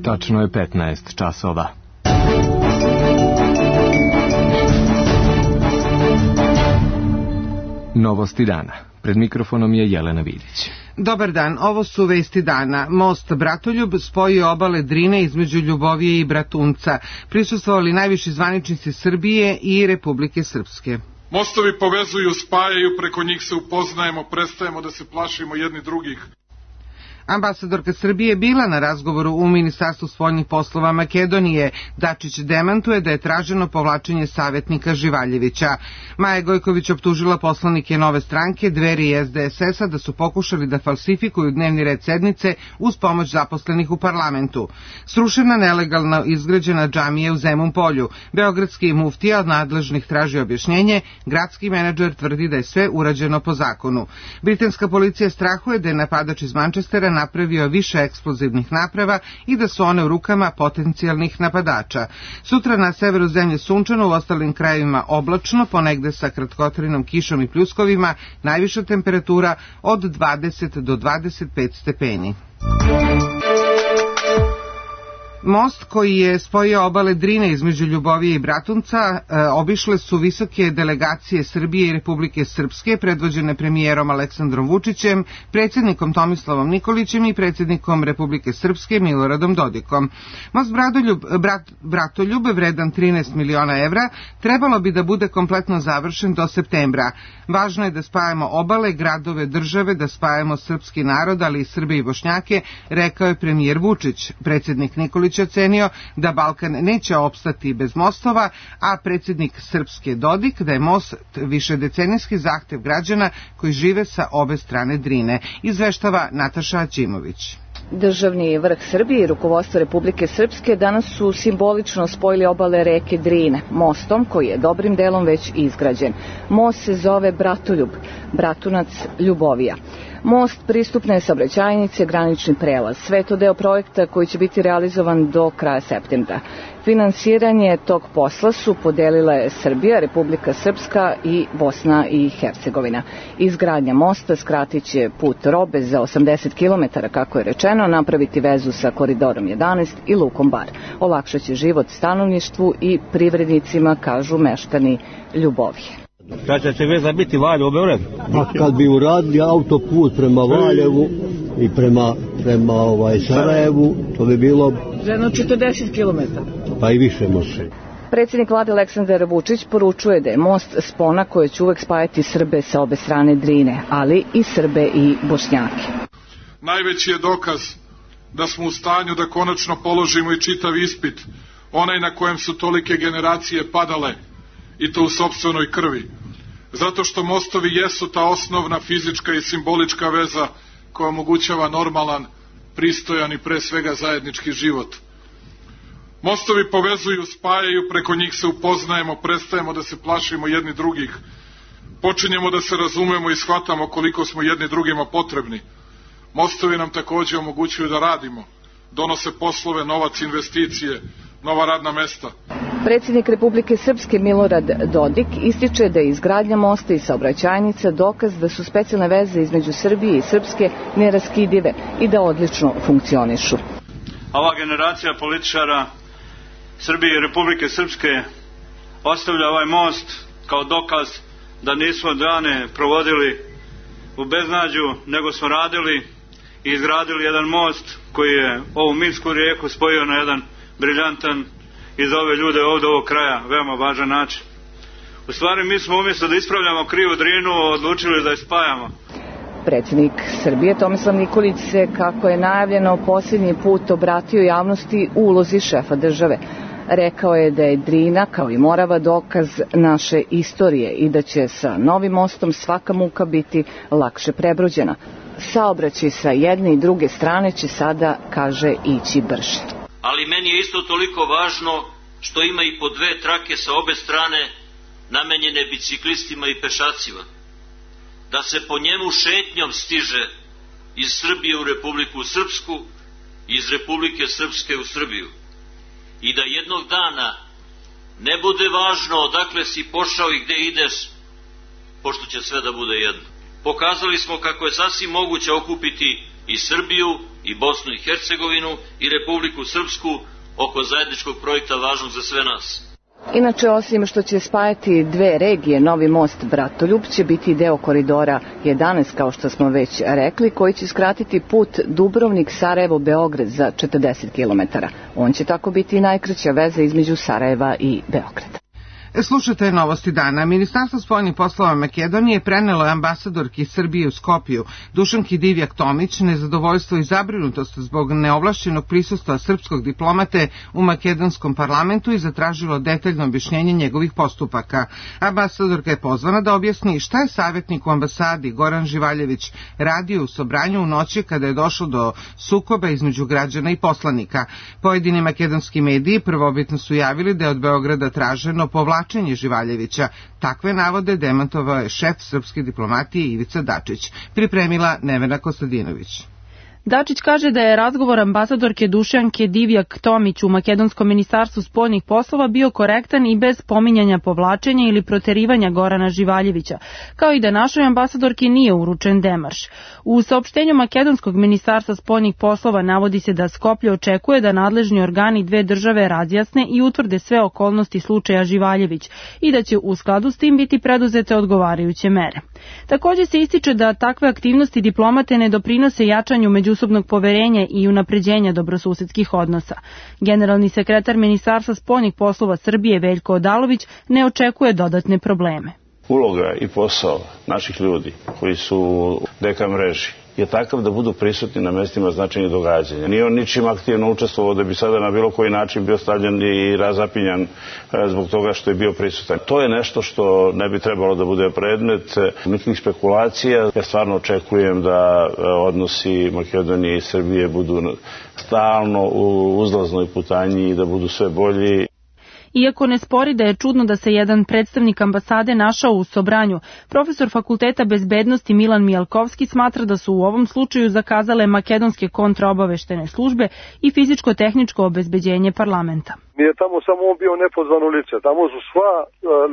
Tačno je 15 časova. Novosti dana. Pred mikrofonom je Jelena Vidić. Dobar dan, ovo su vesti dana. Most Bratoljub spojio obale Drine između Ljubovije i Bratunca. Prisustvovali najviši zvaničnici Srbije i Republike Srpske. Mostovi povezuju, spajaju, preko njih se upoznajemo, prestajemo da se plašimo jedni drugih. Ambasadorka Srbije je bila na razgovoru u Ministarstvu spoljnih poslova Makedonije. Dačić demantuje da je traženo povlačenje savjetnika Živaljevića. Maja Gojković optužila poslanike Nove stranke, Dveri i SDSS-a da su pokušali da falsifikuju dnevni red sednice uz pomoć zaposlenih u parlamentu. Srušena nelegalno izgrađena džamija u Zemun Polju. Beogradski muftija od nadležnih traži objašnjenje, gradski menadžer tvrdi da je sve urađeno po zakonu. Britanska policija strahuje da je napadač iz Manchestera napravio više eksplozivnih naprava i da su one u rukama potencijalnih napadača. Sutra na severu zemlje sunčano, u ostalim krajevima oblačno, ponegde sa kratkotrajnom kišom i pljuskovima, najviša temperatura od 20 do 25 stepeni. Most koji je spojio obale Drine između Ljubovije i Bratunca obišle su visoke delegacije Srbije i Republike Srpske, predvođene premijerom Aleksandrom Vučićem, predsjednikom Tomislavom Nikolićem i predsjednikom Republike Srpske Miloradom Dodikom. Most Bratoljub, vredan 13 miliona evra, trebalo bi da bude kompletno završen do septembra. Važno je da spajamo obale, gradove, države, da spajamo srpski narod, ali i Srbe i Bošnjake, rekao je premijer Vučić. Predsjednik Nikolić ocenio da Balkan neće opstati bez mostova, a predsjednik Srpske Dodik da je most višedecenijski zahtev građana koji žive sa obe strane Drine. Izveštava Nataša Aćimović. Državni vrh Srbije i rukovodstvo Republike Srpske danas su simbolično spojili obale reke Drine mostom koji je dobrim delom već izgrađen. Most se zove Bratoljub, Bratunac, Ljubovija. Most pristupne saobraćajnice, granični prelaz. Sve je to deo projekta koji će biti realizovan do kraja septembra. Finansiranje tog posla su podelile Srbija, Republika Srpska i Bosna i Hercegovina. Izgradnja mosta skratit će put robe za 80 km, kako je rečeno, napraviti vezu sa koridorom 11 i lukom Bar. Olakšat će život stanovništvu i privrednicima, kažu meštani Ljubovije. Kad će se veza biti Valjevo, Beograd? Pa kad bi uradili autoput prema Valjevu i prema Sarajevu, to bi bilo... Jedno 40 km. Pa i više može. Predsjednik vlade Aleksandar Vučić poručuje da je most spona koja će uvek spajati Srbe sa obe strane Drine, ali i Srbe i Bošnjake. Najveći je dokaz da smo u stanju da konačno položimo i čitav ispit, onaj na kojem su tolike generacije padale, i to u sopstvenoj krvi. Zato što mostovi jesu ta osnovna fizička i simbolička veza koja omogućava normalan, pristojan i pre svega zajednički život. Mostovi povezuju, spajaju, preko njih se upoznajemo, prestajemo da se plašimo jedni drugih. Počinjemo da se razumemo i shvatamo koliko smo jedni drugima potrebni. Mostovi nam takođe omogućuju da radimo, donose poslove, novac, investicije, nova radna mesta. Predsjednik Republike Srpske Milorad Dodik ističe da je izgradnja mosta i saobraćajnica dokaz da su specijalne veze između Srbije i Srpske neraskidive i da odlično funkcionišu. Ova generacija političara Srbije i Republike Srpske ostavlja ovaj most kao dokaz da nismo dane provodili u beznađu, nego smo radili i izgradili jedan most koji je ovu Minsku rijeku spojio na jedan briljantan i za ove ljude ovdje ovog kraja veoma važan način. U stvari mi smo umjesto da ispravljamo krivu Drinu odlučili da je spajamo. Predsjednik Srbije Tomislav Nikolić se, kako je najavljeno, posljednji put obratio javnosti u ulozi šefa države. Rekao je da je Drina, kao i Morava, dokaz naše istorije i da će sa novim mostom svaka muka biti lakše prebrođena. Saobraćaj sa jedne i druge strane će sada, kaže, ići brže. Ali meni je isto toliko važno što ima i po dve trake sa obe strane namenjene biciklistima i pešacima. Da se po njemu šetnjom stiže iz Srbije u Republiku Srpsku i iz Republike Srpske u Srbiju. I da jednog dana ne bude važno odakle si pošao i gde ideš, pošto će sve da bude jedno. Pokazali smo kako je sasvim moguće okupiti i Srbiju i Bosnu i Hercegovinu i Republiku Srpsku oko zajedničkog projekta važnog za sve nas. Inače, osim što će spajati dve regije, novi most Bratoljub će biti deo koridora 11, kao što smo već rekli, koji će skratiti put Dubrovnik-Sarajevo-Beograd za 40 km. On će tako biti najkraća veza između Sarajeva i Beograda. Slušajte novosti dana. Ministarstvo spoljnih poslova Makedonije prenelo je ambasadorki Srbije u Skopju Dušanki Divjak-Tomić nezadovoljstvo i zabrinutost zbog neovlašćenog prisustva srpskog diplomate u makedonskom parlamentu i zatražilo detaljno objašnjenje njegovih postupaka. Ambasadorka je pozvana da objasni šta je savjetnik u ambasadi Goran Živaljević radio u Sobranju u noći kada je došlo do sukoba između građana i poslanika. Pojedini makedonski mediji prvobitno su javili da je od Beograda traženo povlačenje Živaljevića. Takve navode demantovao je šef srpske diplomatije Ivica Dačić. Pripremila Nevena Kostadinović. Dačić kaže da je razgovor ambasadorke Dušanke Divjak-Tomić u Makedonskom ministarstvu spoljnih poslova bio korektan i bez pominjanja povlačenja ili proterivanja Gorana Živaljevića, kao i da našoj ambasadorki nije uručen demarš. U saopštenju Makedonskog ministarstva spoljnih poslova navodi se da Skoplje očekuje da nadležni organi dve države razjasne i utvrde sve okolnosti slučaja Živaljević i da će u skladu s tim biti preduzete odgovarajuće mere. Također se ističe da takve aktivnosti diplomate ne doprinose jačanju međusobnog poverenja i unapređenja dobrosusedskih odnosa. Generalni sekretar Ministarstva spoljnih poslova Srbije Veljko Odalović ne očekuje dodatne probleme. Uloga i posao naših ljudi koji su u DK mreži je takav da budu prisutni na mestima značajnih događanja. Nije on ničim aktivno učestvovao da bi sada na bilo koji način bio stavljen i razapinjan zbog toga što je bio prisutan. To je nešto što ne bi trebalo da bude predmet nikakvih spekulacija. Ja stvarno očekujem da odnosi Makedonije i Srbije budu stalno u uzlaznoj putanji i da budu sve bolji. Iako ne spori da je čudno da se jedan predstavnik ambasade našao u Sobranju, profesor Fakulteta bezbednosti Milan Mijalkovski smatra da su u ovom slučaju zakazale makedonske kontraobaveštene službe i fizičko-tehničko obezbeđenje parlamenta. Nije tamo samo on bio nepozvano lice, tamo su sva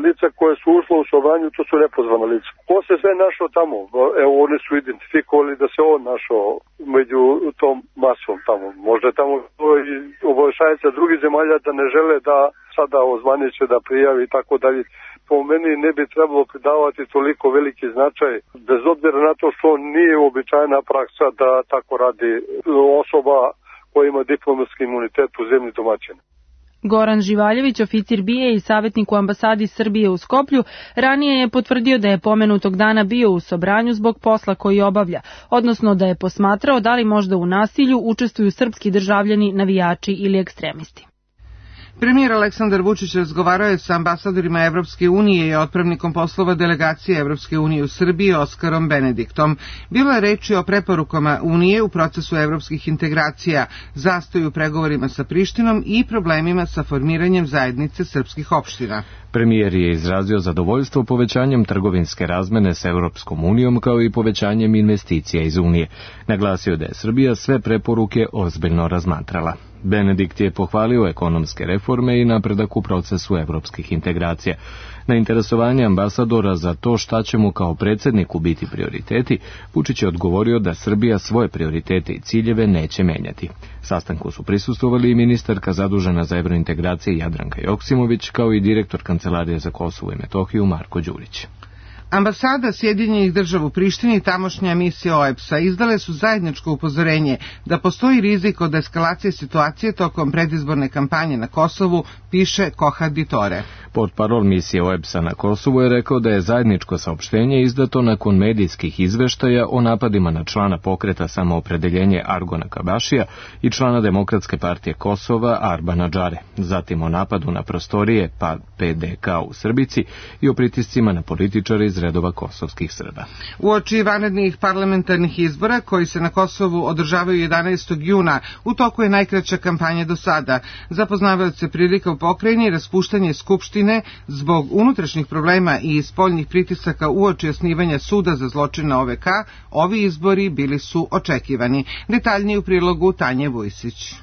lica koje su ušla u Sobranju, to su nepozvano lice. Ko se sve našao tamo? Evo, oni su identifikovali da se on našao među tom masom tamo. Možda je tamo i obaveštajnica drugih zemalja da ne žele da sada ozvaniče, da prijavi i tako dalje. Po meni ne bi trebalo pridavati toliko veliki značaj, bez obzira na to što nije uobičajena praksa da tako radi osoba koja ima diplomatski imunitet u zemlji domaćina. Goran Živaljević, oficir BIA i savjetnik u ambasadi Srbije u Skoplju, ranije je potvrdio da je pomenutog dana bio u Sobranju zbog posla koji obavlja, odnosno da je posmatrao da li možda u nasilju učestvuju srpski državljani, navijači ili ekstremisti. Premijer Aleksandar Vučić razgovarao je sa ambasadorima Evropske unije i otpravnikom poslova delegacije Evropske unije u Srbiji Oskarom Benediktom. Bilo je reči o preporukama Unije u procesu evropskih integracija, zastoju u pregovorima sa Prištinom i problemima sa formiranjem zajednice srpskih opština. Premijer je izrazio zadovoljstvo povećanjem trgovinske razmene s Evropskom unijom kao i povećanjem investicija iz Unije. Naglasio da je Srbija sve preporuke ozbiljno razmatrala. Benedikt je pohvalio ekonomske reforme i napredak u procesu evropskih integracija. Na interesovanje ambasadora za to šta će mu kao predsjedniku biti prioriteti, Vučić je odgovorio da Srbija svoje prioritete i ciljeve neće menjati. Sastanku su prisustvovali i ministarka zadužena za evrointegracije Jadranka Joksimović, kao i direktor Kancelarije za Kosovo i Metohiju Marko Đurić. Ambasada Sjedinjenih država u Prištini i tamošnja misija OEBS-a izdale su zajedničko upozorenje da postoji rizik od eskalacije situacije tokom predizborne kampanje na Kosovu, piše Kohad Ditore. Portparol misije OEBS-a na Kosovu je rekao da je zajedničko saopštenje izdato nakon medijskih izveštaja o napadima na člana pokreta Samoopredeljenje Argona Kabašija i člana Demokratske partije Kosova Arbana Džare, zatim o napadu na prostorije PDK u Srbici i o pritiscima na političare iz redova kosovskih Srba. Uoči vanrednih parlamentarnih izbora koji se na Kosovu održavaju 11. juna, u toku je najkraća kampanja do sada. Za poznavaoce prilika u pokrajini raspuštanje skupštine zbog unutrašnjih problema i spoljnih pritisaka uoči osnivanja suda za zločine OVK, ovi izbori bili su očekivani. Detaljnije u prilogu Tanje Vujsić.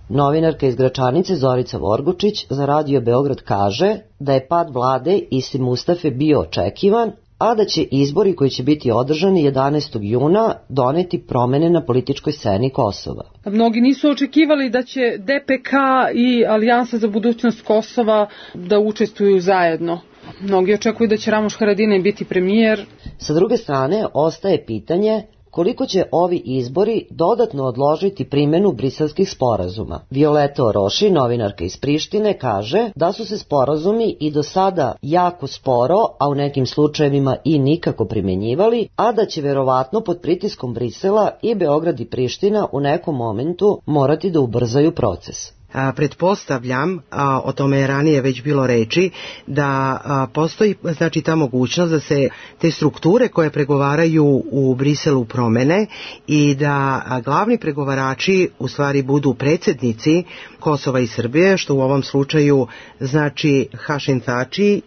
Novinarka iz Gračanice Zorica Vorgučić za Radio Beograd kaže da je pad vlade Isi Mustafe bio očekivan, a da će izbori koji će biti održani 11. juna doneti promene na političkoj sceni Kosova. Mnogi nisu očekivali da će DPK i Alijansa za budućnost Kosova da učestvuju zajedno. Mnogi očekuju da će Ramuš Haradinaj biti premijer. Sa druge strane, ostaje pitanje koliko će ovi izbori dodatno odložiti primjenu briselskih sporazuma. Violeta Oroši, novinarka iz Prištine, kaže da su se sporazumi i do sada jako sporo, a u nekim slučajevima i nikako primjenjivali, a da će verovatno pod pritiskom Brisela i Beograd i Priština u nekom momentu morati da ubrzaju proces. Pretpostavljam, o tome je ranije već bilo reči, da postoji znači ta mogućnost da se te strukture koje pregovaraju u Briselu promene i da glavni pregovarači u stvari budu predsjednici Kosova i Srbije, što u ovom slučaju znači Hašim Tači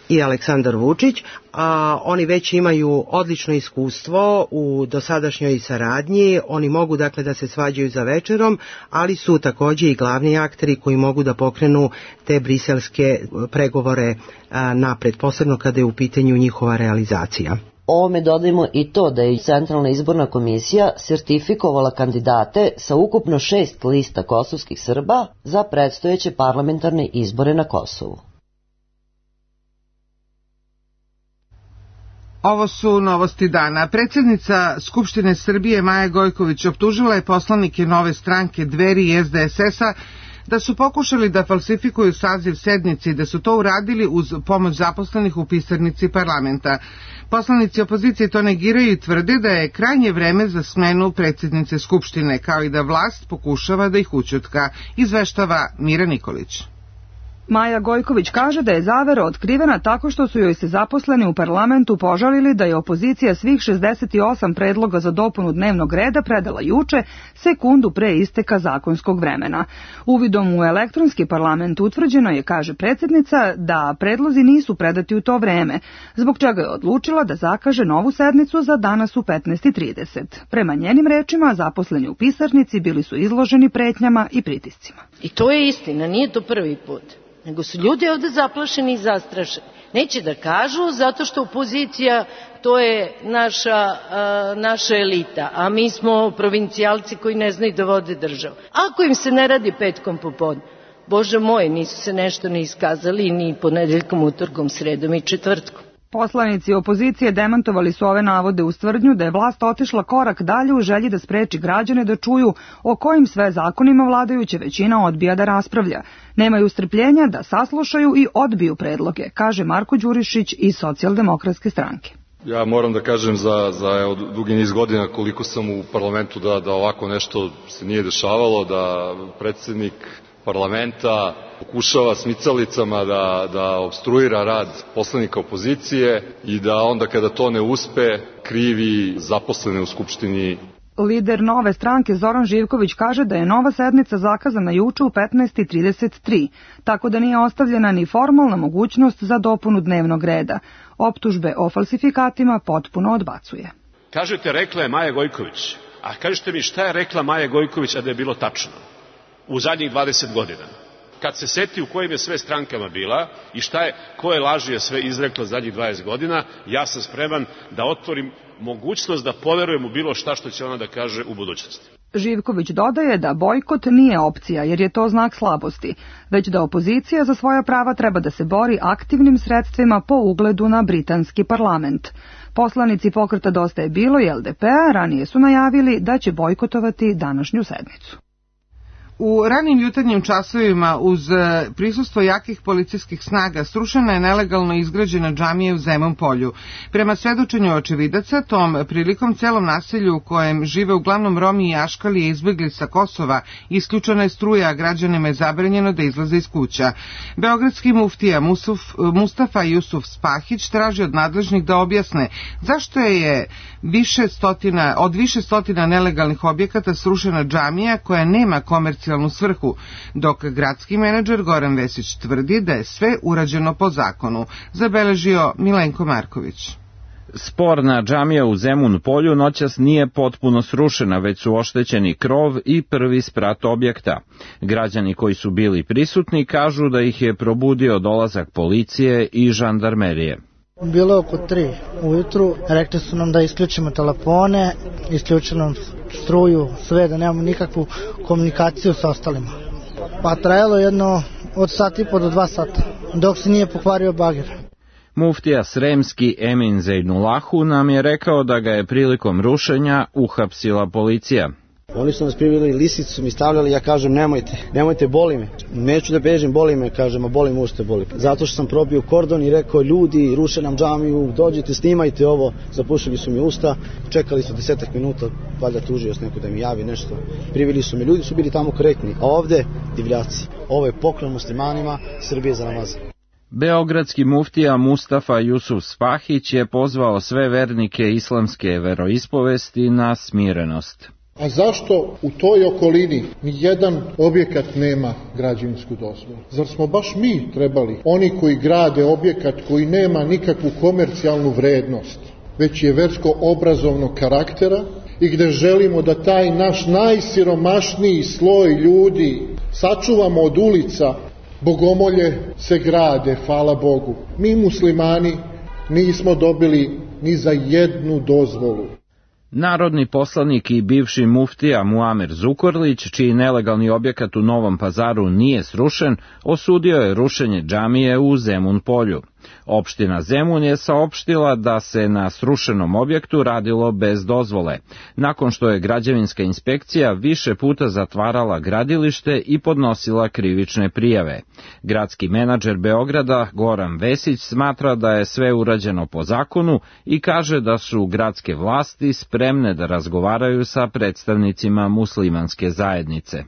i Aleksandar Vučić, a oni već imaju odlično iskustvo u dosadašnjoj saradnji, oni mogu dakle da se svađaju za večerom, ali su također i glavni akteri koji mogu da pokrenu te briselske pregovore napred, posebno kada je u pitanju njihova realizacija. Ovome dodajmo i to da je Centralna izborna komisija sertifikovala kandidate sa ukupno 6 lista kosovskih Srba za predstojeće parlamentarne izbore na Kosovu. Ovo su novosti dana. Predsjednica Skupštine Srbije Maja Gojković optužila je poslanike Nove stranke, Dveri i SDSS-a da su pokušali da falsifikuju saziv sednice i da su to uradili uz pomoć zaposlenih u pisarnici parlamenta. Poslanici opozicije to negiraju i tvrde da je krajnje vreme za smenu predsjednice Skupštine, kao i da vlast pokušava da ih ućutka, izveštava Mira Nikolić. Maja Gojković kaže da je zavera otkrivena tako što su joj se zaposleni u parlamentu požalili da je opozicija svih 68 predloga za dopunu dnevnog reda predala juče, sekundu pre isteka zakonskog vremena. Uvidom u elektronski parlament utvrđeno je, kaže predsjednica, da predlozi nisu predati u to vreme, zbog čega je odlučila da zakaže novu sednicu za danas u 15:30. Prema njenim rečima, zaposleni u pisarnici bili su izloženi pretnjama i pritiscima. I to je istina, nije to prvi put. Nego su ljudi ovde zaplašeni i zastrašeni. Neće da kažu zato što opozicija to je naša elita, a mi smo provincijalci koji ne znaju da vode državu. Ako im se ne radi petkom popodne, Bože moj, nisu se nešto ni iskazali ni ponedeljkom, utorkom, sredom i četvrtkom. Poslanici opozicije demantovali su ove navode uz tvrdnju da je vlast otišla korak dalje u želji da spreči građane da čuju o kojim sve zakonima vladajuća većina odbija da raspravlja. Nemaju strpljenja da saslušaju i odbiju predloge, kaže Marko Đurišić iz Socijaldemokratske stranke. Ja moram da kažem za dugi niz godina koliko sam u parlamentu da ovako nešto se nije dešavalo, da predsjednik parlamenta pokušava smicalicama da opstruira rad poslanika opozicije i da onda kada to ne uspe krivi zaposlene u Skupštini. Lider Nove stranke Zoran Živković kaže da je nova sednica zakazana juče u 15:33, tako da nije ostavljena ni formalna mogućnost za dopunu dnevnog reda. Optužbe o falsifikatima potpuno odbacuje. Kažete, rekla je Maja Gojković, a kažete mi šta je rekla Maja Gojković, a da je bilo tačno u zadnjih 20 godina? Kad se seti u kojim je sve strankama bila i koje laži je sve izrekla zadnjih 20 godina, ja sam spreman da otvorim mogućnost da poverujem u bilo šta što će ona da kaže u budućnosti. Živković dodaje da bojkot nije opcija jer je to znak slabosti, već da opozicija za svoja prava treba da se bori aktivnim sredstvima po ugledu na britanski parlament. Poslanici pokreta Dosta je bilo i LDP-a ranije su najavili da će bojkotovati današnju sednicu. U ranim jutarnjim časovima uz prisustvo jakih policijskih snaga srušena je nelegalno izgrađena džamija u Zemun polju. Prema svedočenju očevidaca, tom prilikom celom naselju u kojem žive uglavnom Romi i Aškalije izbjegli sa Kosova, isključena je struja, a građanima je zabranjeno da izlaze iz kuća. Beogradski muftija Mustafa Jusuf Spahić traži od nadležnih da objasne zašto je od više stotina nelegalnih objekata srušena džamija koja nema komercijalnu svrhu, dok gradski menadžer Goran Vesić tvrdi da je sve urađeno po zakonu, zabeležio Milenko Marković. Sporna džamija u Zemun polju noćas nije potpuno srušena, već su oštećeni krov i prvi sprat objekta. Građani koji su bili prisutni kažu da ih je probudio dolazak policije i žandarmerije. Bilo je oko 3 ujutru, rekli su nam da isključimo telefone, isključili nam struju, sve, da nemamo nikakvu komunikaciju sa ostalima. Pa trajalo jedno od sat i po do 2 sata, dok se nije pokvario bager. Muftija Sremski Emin Zejnulahu nam je rekao da ga je prilikom rušenja uhapsila policija. Oni su nas priveli, lisicu mi stavljali, ja kažem nemojte, boli me. Neću da bežim, boli me, kažem, a boli me ušte, boli. Zato što sam probio kordon i rekao, ljudi, ruše nam džamiju, dođite, snimajte ovo. Zapušili su mi usta, čekali su 10 minuta, valjda tužioc neko da mi javi nešto. Priveli su me, ljudi su bili tamo korektni, a ovde divljaci. Ovo je poklon muslimanima, Srbije za Ramazan. Beogradski muftija Mustafa Jusuf Spahić je pozvao sve vernike islamske veroispovesti na smirenost. A zašto u toj okolini nijedan objekat nema građevinsku dozvolu? Zar smo baš mi trebali, oni koji grade objekat koji nema nikakvu komercijalnu vrednost, već je versko-obrazovnog karaktera i gde želimo da taj naš najsiromašniji sloj ljudi sačuvamo od ulica, bogomolje se grade, hvala Bogu. Mi muslimani nismo dobili ni za jednu dozvolu. Narodni poslanik i bivši muftija Muamer Zukorlić, čiji nelegalni objekat u Novom Pazaru nije srušen, osudio je rušenje džamije u Zemun Polju. Opština Zemun je saopštila da se na srušenom objektu radilo bez dozvole, nakon što je građevinska inspekcija više puta zatvarala gradilište i podnosila krivične prijave. Gradski menadžer Beograda Goran Vesić smatra da je sve urađeno po zakonu i kaže da su gradske vlasti spremne da razgovaraju sa predstavnicima muslimanske zajednice.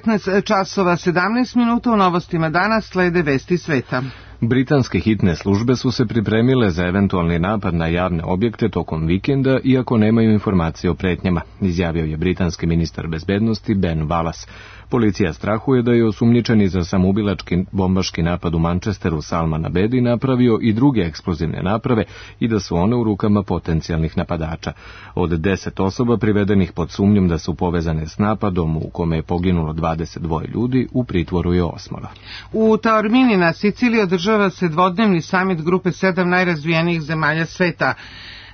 15 časova 17 minuta u novostima danas slede vesti sveta. Britanske hitne službe su se pripremile za eventualni napad na javne objekte tokom vikenda, iako nemaju informacije o pretnjama, izjavio je britanski ministar bezbednosti Ben Wallace. Policija strahuje da je osumnjičeni za samoubilački bombaški napad u Manchesteru Salman Abedi napravio i druge eksplozivne naprave i da su one u rukama potencijalnih napadača. Od 10 osoba privedenih pod sumnjom da su povezane s napadom u kome je poginulo 22 ljudi, u pritvoru je 8. U Taormini na Siciliji održava se dvodnevni samit grupe 7 najrazvijenijih zemalja sveta.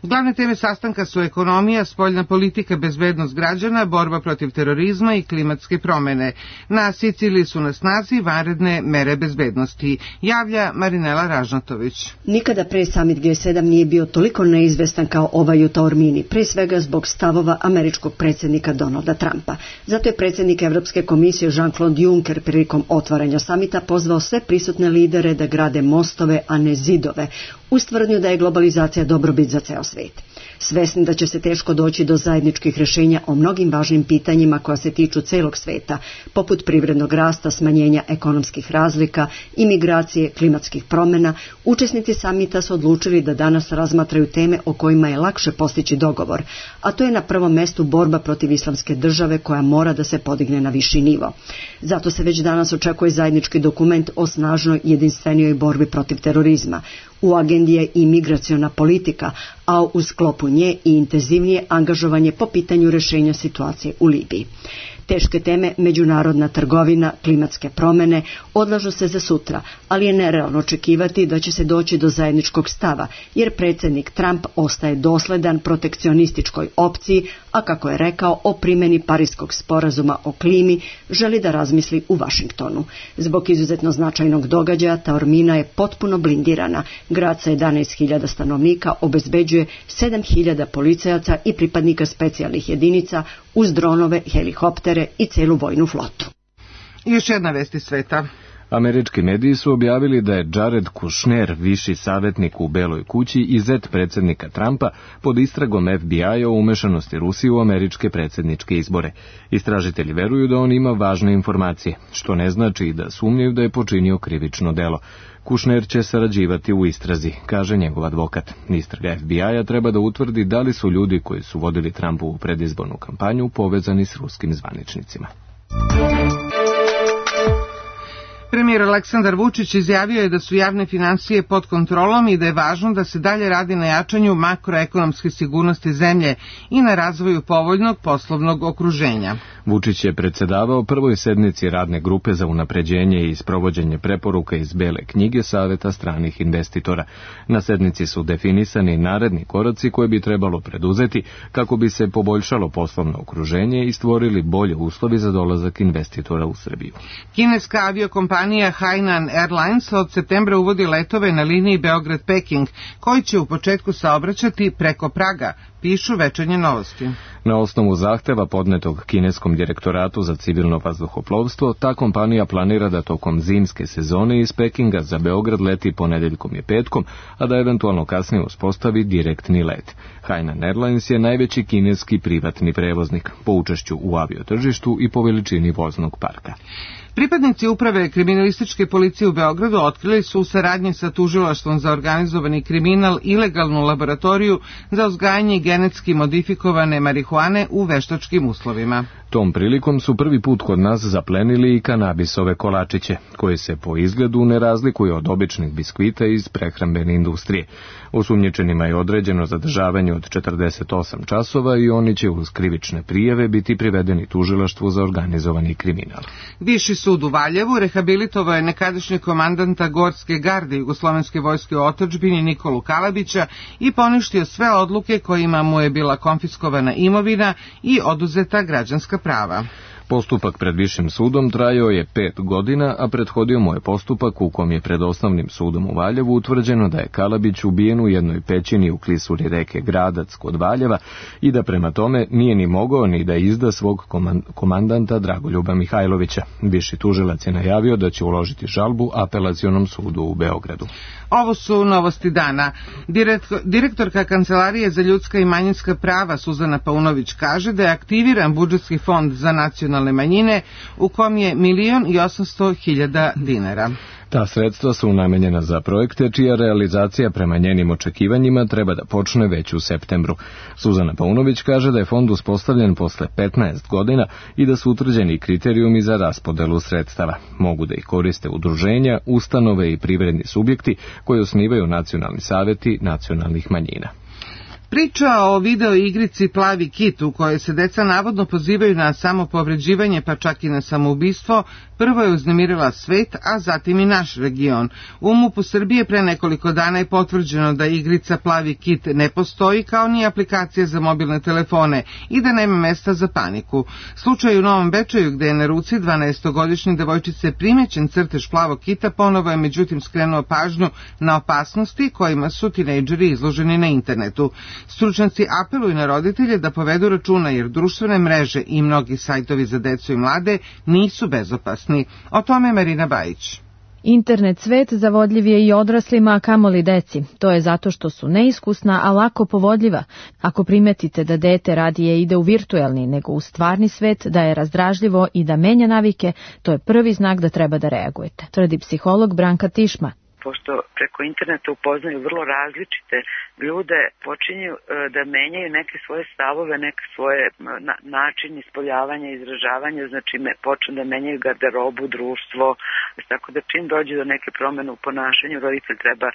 Glavne teme sastanka su ekonomija, spoljna politika, bezbednost građana, borba protiv terorizma i klimatske promene. Na Siciliji su na snazi vanredne mere bezbednosti, javlja Marinela Ražnatović. Nikada pre samit G7 nije bio toliko neizvestan kao ovaj u Taormini, pre svega zbog stavova američkog predsjednika Donalda Trumpa. Zato je predsjednik Evropske komisije Jean-Claude Juncker prilikom otvaranja samita pozvao sve prisutne lidere da grade mostove, a ne zidove, uz tvrdnju da je globalizacija dobrobit za ceo svijet. Svesni da će se teško doći do zajedničkih rješenja o mnogim važnim pitanjima koja se tiču celog sveta, poput privrednog rasta, smanjenja ekonomskih razlika, imigracije, klimatskih promjena, učesnici samita su odlučili da danas razmatraju teme o kojima je lakše postići dogovor, a to je na prvom mestu borba protiv islamske države koja mora da se podigne na viši nivo. Zato se već danas očekuje zajednički dokument o snažnoj jedinstvenijoj borbi protiv terorizma. U agendi je i migraciona politika, a u sklopu nje i intenzivnije angažovanje po pitanju rješenja situacije u Libiji. Teške teme, međunarodna trgovina, klimatske promjene odlažu se za sutra, ali je nerealno očekivati da će se doći do zajedničkog stava, jer predsjednik Trump ostaje dosledan protekcionističkoj opciji, a kako je rekao o primjeni Pariskog sporazuma o klimi, želi da razmisli u Vašingtonu. Zbog izuzetno značajnog događaja, Taormina je potpuno blindirana. Grad sa 11.000 stanovnika obezbeđuje 7.000 policajaca i pripadnika specijalnih jedinica uz dronove, helikoptere i celu vojnu flotu. Još jedna vesti sveta. Američki mediji su objavili da je Jared Kushner, viši savjetnik u Beloj kući i zet predsjednika Trumpa, pod istragom FBI-a o umešanosti Rusije u američke predsjedničke izbore. Istražitelji veruju da on ima važne informacije, što ne znači da sumnjaju da je počinio krivično delo. Kushner će sarađivati u istrazi, kaže njegov advokat. Istraga FBI-a treba da utvrdi da li su ljudi koji su vodili Trumpovu predizbornu kampanju povezani s ruskim zvaničnicima. Premijer Premijer Aleksandar Vučić izjavio je da su javne finansije pod kontrolom i da je važno da se dalje radi na jačanju makroekonomske sigurnosti zemlje i na razvoju povoljnog poslovnog okruženja. Vučić je predsedavao prvoj sednici radne grupe za unapređenje i sprovođenje preporuka iz Bele knjige Saveta stranih investitora. Na sednici su definisani naredni koraci koje bi trebalo preduzeti kako bi se poboljšalo poslovno okruženje i stvorili bolje uslovi za dolazak investitora u Srbiju. Kineska aviokompanija Hainan Airlines od septembra uvodi letove na liniji Beograd-Peking, koji će u početku saobraćati preko Praga, pišu Večernje novosti. Na osnovu zahteva podnetog kineskom direktoratu za civilno vazduhoplovstvo, ta kompanija planira da tokom zimske sezone iz Pekinga za Beograd leti ponedeljkom i petkom, a da eventualno kasnije uspostavi direktni let. Hainan Airlines je najveći kineski privatni prevoznik po učešću u aviotržištu i po veličini voznog parka. Pripadnici uprave kriminalističke policije u Beogradu otkrili su u saradnji sa tužilaštvom za organizovani kriminal ilegalnu laboratoriju za uzgajanje genetski modifikovane marihuane u veštačkim uslovima. Tom prilikom su prvi put kod nas zaplenili i kanabisove kolačiće, koje se po izgledu ne razlikuju od običnih biskvita iz prehrambene industrije. Osumnjičenima je određeno zadržavanje od 48 časova i oni će uz krivične prijave biti privedeni tužilaštvu za organizovani kriminal. Viši sud u Valjevu rehabilitovao je nekadašnjeg komandanta Gorske garde Jugoslovenske vojske u otadžbini Nikolu Kalabića i poništio sve odluke kojima mu je bila konfiskovana imovina i oduzeta građanska prava. Postupak pred Višim sudom trajao je 5 godina, a prethodio mu je postupak u kom je pred Osnovnim sudom u Valjevu utvrđeno da je Kalabić ubijen u jednoj pećini u klisuri reke Gradac kod Valjeva i da prema tome nije ni mogao ni da izda svog komandanta Dragoljuba Mihajlovića. Viši tužilac je najavio da će uložiti žalbu Apelacionom sudu u Beogradu. Ovo su novosti dana. Direktorka Kancelarije za ljudska i manjinska prava Suzana Paunović kaže da je aktiviran budžetski fond za nacionalne manjine u kom je 1.800.000 dinara. Ta sredstva su namenjena za projekte čija realizacija prema njenim očekivanjima treba da počne već u septembru. Suzana Paunović kaže da je fond uspostavljen posle 15 godina i da su utvrđeni kriterijumi za raspodelu sredstava. Mogu da ih koriste udruženja, ustanove i privredni subjekti koji osnivaju nacionalni saveti nacionalnih manjina. Priča o video igrici Plavi kit u kojoj se deca navodno pozivaju na samopovređivanje pa čak i na samoubistvo, prvo je uznemirila svet, a zatim i naš region. U MUP-u Srbije pre nekoliko dana je potvrđeno da igrica Plavi kit ne postoji kao ni aplikacija za mobilne telefone i da nema mesta za paniku. Slučaj u Novom Bečeju gde je na ruci 12-godišnje devojčice primećen crtež plavog kita ponovo je međutim skrenuo pažnju na opasnosti kojima su tinejdžeri izloženi na internetu. Stručnjaci apeluju na roditelje da povedu računa jer društvene mreže i mnogi sajtovi za decu i mlade nisu bezopasni. O tome Marina Bajić. Internet svet zavodljiv je i odraslima, a kamoli deci. To je zato što su neiskusna, a lako povodljiva. Ako primetite da dete radije ide u virtuelni nego u stvarni svet, da je razdražljivo i da menja navike, to je prvi znak da treba da reagujete, tvrdi psiholog Branka Tišma. Pošto preko interneta upoznaju vrlo različite ljude, počinju da menjaju neke svoje stavove, neke svoje način ispoljavanja, izražavanja, znači počnu da menjaju garderobu, društvo, tako da čim dođe do neke promene u ponašanju, roditelj treba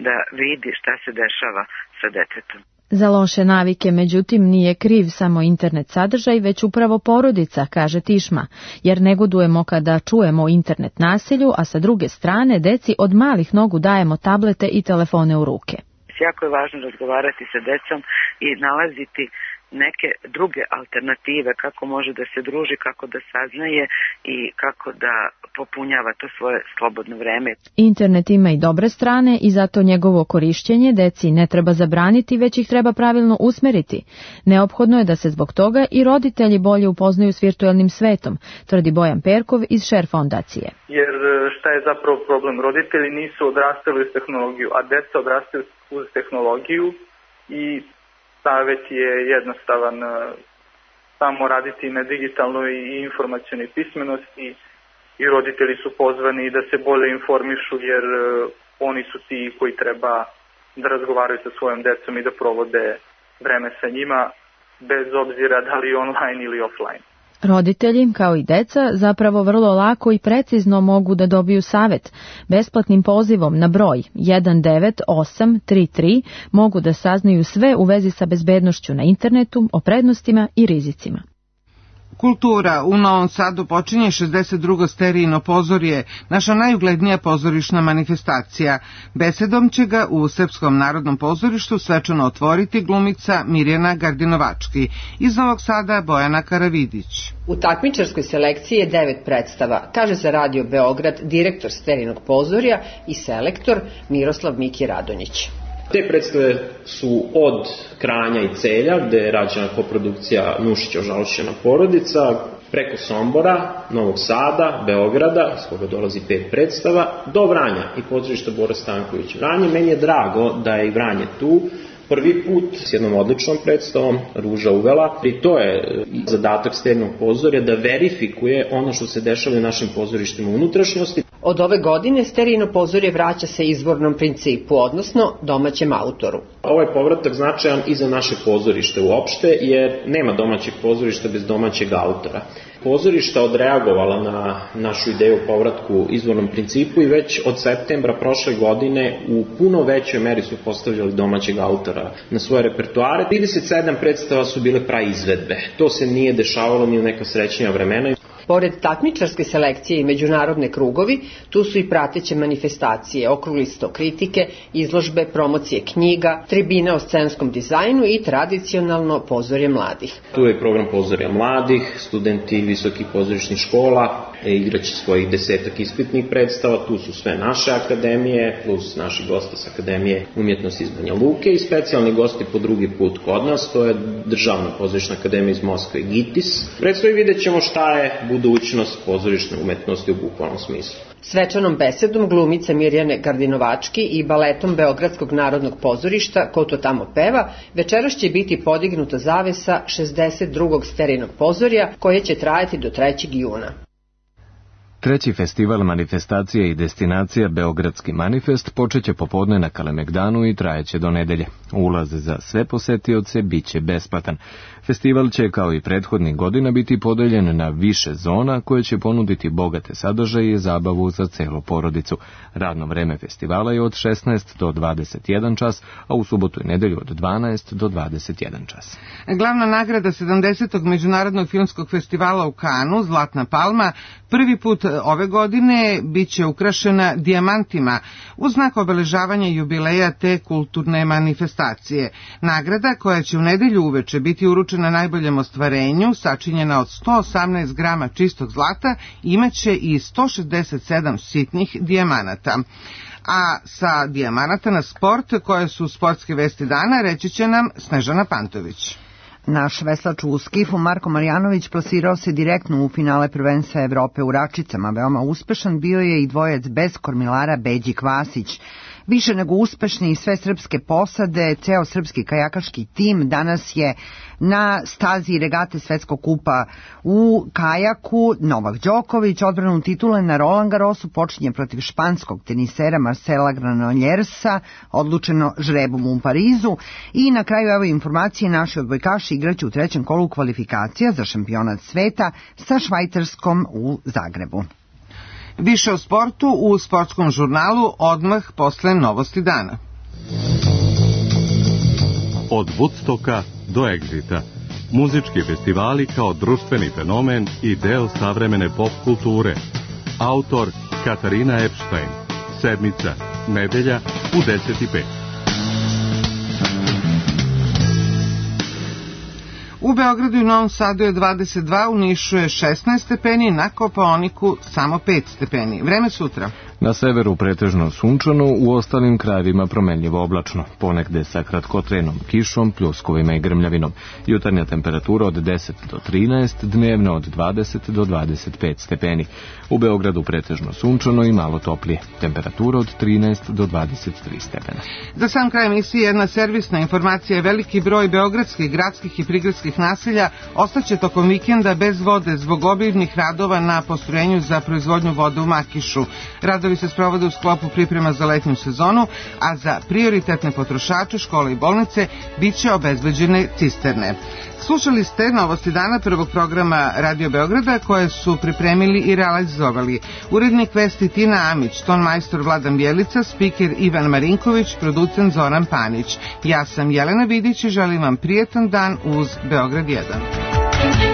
da vidi šta se dešava sa detetom. Za loše navike, međutim, nije kriv samo internet sadržaj, već upravo porodica, kaže Tišma, jer negodujemo kada čujemo o internet nasilju, a sa druge strane deci od malih nogu dajemo tablete i telefone u ruke. Jako je važno razgovarati sa decom i nalaziti neke druge alternative, kako može da se druži, kako da saznaje i kako da popunjava to svoje slobodno vreme. Internet ima i dobre strane i zato njegovo korišćenje deci ne treba zabraniti, već ih treba pravilno usmeriti. Neophodno je da se zbog toga i roditelji bolje upoznaju s virtuelnim svetom, tvrdi Bojan Perkov iz Share fondacije. Jer šta je zapravo problem? Roditelji nisu odrastali uz tehnologiju, a deca odrastaju uz tehnologiju i savjet je jednostavan, samo raditi na digitalnoj i informacionoj pismenosti i roditelji su pozvani da se bolje informišu jer oni su ti koji treba da razgovaraju sa svojom decom i da provode vreme sa njima bez obzira da li online ili offline. Roditelji, kao i deca, zapravo vrlo lako i precizno mogu da dobiju savet. Besplatnim pozivom na broj 19833 mogu da saznaju sve u vezi sa bezbednošću na internetu, o prednostima i rizicima. Kultura. U Novom Sadu počinje 62. sterijino pozorje, naša najuglednija pozorišna manifestacija. Besedom će ga u Srpskom narodnom pozorištu svečano otvoriti glumica Mirjana Gardinovački. Iz Novog Sada Bojana Karavidić. U takmičarskoj selekciji je 9 predstava, kaže za Radio Beograd direktor sterijinog pozorja i selektor Miroslav Miki Radonjić. Te predstave su od Kranja i Celja, gde je rađena koprodukcija Nušić-Ožalošćena porodica, preko Sombora, Novog Sada, Beograda, s koga dolazi 5 predstava, do Vranja i pozorišta Bora Stanković Vranje. Meni je drago da je i Vranje tu, prvi put s jednom odličnom predstavom, Ruža uvela. I to je zadatak sterijinog pozorja, da verifikuje ono što se dešava u našim pozorištima unutrašnjosti. Od ove godine sterijino pozorje vraća se izvornom principu, odnosno domaćem autoru. Ovaj povratak značajan i za naše pozorište uopšte, jer nema domaćeg pozorišta bez domaćeg autora. Pozorišta odreagovala na našu ideju o povratku izvornom principu i već od septembra prošle godine u puno većoj meri su postavljali domaćeg autora na svoje repertoare. 37 predstava su bile praizvedbe. To se nije dešavalo ni u neka srećnija vremena. Pored takmičarske selekcije i međunarodne krugovi, tu su i prateće manifestacije, okrugli sto kritike, izložbe, promocije knjiga, tribine o scenskom dizajnu i tradicionalno pozorje mladih. Tu je program pozorja mladih, studenti visokih pozorišnih škola, igraće svojih 10 ispitnih predstava, tu su sve naše akademije, plus naši gosti s Akademije umjetnosti iz Banja Luke i specijalni gosti po drugi put kod nas, to je Državna pozorišna akademija iz Moskve, GITIS. Predstavi vidjet ćemo šta je budućnost pozorišne umetnosti u bukvalnom smislu. Svečanom besedom glumice Mirjane Gardinovački i baletom Beogradskog narodnog pozorišta Ko to tamo peva, večeras će biti podignuta zavesa 62. sterijinog pozorja koje će trajati do 3. juna. Treći festival manifestacija i destinacija Beogradski manifest počeće popodne na Kalemegdanu i trajeće do nedelje. Ulaz za sve posetioce biće besplatan. Festival će, kao i prethodnih godina, biti podeljen na više zona koje će ponuditi bogate sadržaje i zabavu za celu porodicu. Radno vreme festivala je od 16 do 21 čas, a u subotu i nedelju od 12 do 21 čas. Glavna nagrada 70. Međunarodnog filmskog festivala u Kanu, Zlatna palma, prvi put ove godine biće ukrašena dijamantima u znak obeležavanja jubileja te kulturne manifestacije. Nagrada, koja će u nedelju uveče biti uručena najboljem ostvarenju, sačinjena od 118 grama čistog zlata, imaće i 167 sitnih dijamanata. A sa dijamanata na sport, koje su sportske vesti dana, reći će nam Snežana Pantović. Naš veslač u skifu Marko Marjanović plasirao se direktno u finale prvenstva Evrope u Račicama. Veoma uspešan bio je i dvojac bez kormilara Beđi Kvasić. Više nego uspešni i sve srpske posade, ceo srpski kajakaški tim danas je na stazi regate Svetskog kupa u kajaku. Novak Đoković odbranu titule na Roland Garrosu počinje protiv španskog tenisera Marcela Granollersa, odlučeno žrebom u Parizu. I na kraju evo informacije, naši odbojkaši igraće u trećem kolu kvalifikacija za šampionat sveta sa Švajcarskom u Zagrebu. Više o sportu u sportskom žurnalu odmah posle novosti dana. Od Woodstocka do Exita. Muzički festivali kao društveni fenomen i deo savremene pop kulture. Autor Katarina Epstein. Sedmica, nedelja u 10:05. U Beogradu i Novom Sadu je 22, u Nišu je 16 stepeni, na Kopaoniku samo 5 stepeni. Vreme sutra. Na severu pretežno sunčano, u ostalim krajevima promenljivo oblačno, ponegde sa kratkotrenom kišom, pljuskovima i grmljavinom. Jutarnja temperatura od 10 do 13, dnevna od 20 do 25 stepeni. U Beogradu pretežno sunčano i malo toplije, temperatura od 13 do 23 stepena. Za sam kraj emisije jedna servisna informacija je veliki broj beogradskih, gradskih i prigradskih naselja ostaće tokom vikenda bez vode zbog obimnih radova na postrojenju za proizvodnju vode u Makišu. Radovi se sprovode u sklopu priprema za letnju sezonu, a za prioritetne potrošače, škole i bolnice, bit će obezbeđene cisterne. Slušali ste novosti dana prvog programa Radio Beograda koje su pripremili i realizovali urednik vesti Tina Amić, tonmajstor Vladan Bjelica, spiker Ivan Marinković, producent Zoran Panić. Ja sam Jelena Vidić i želim vam prijetan dan uz Beograd 1.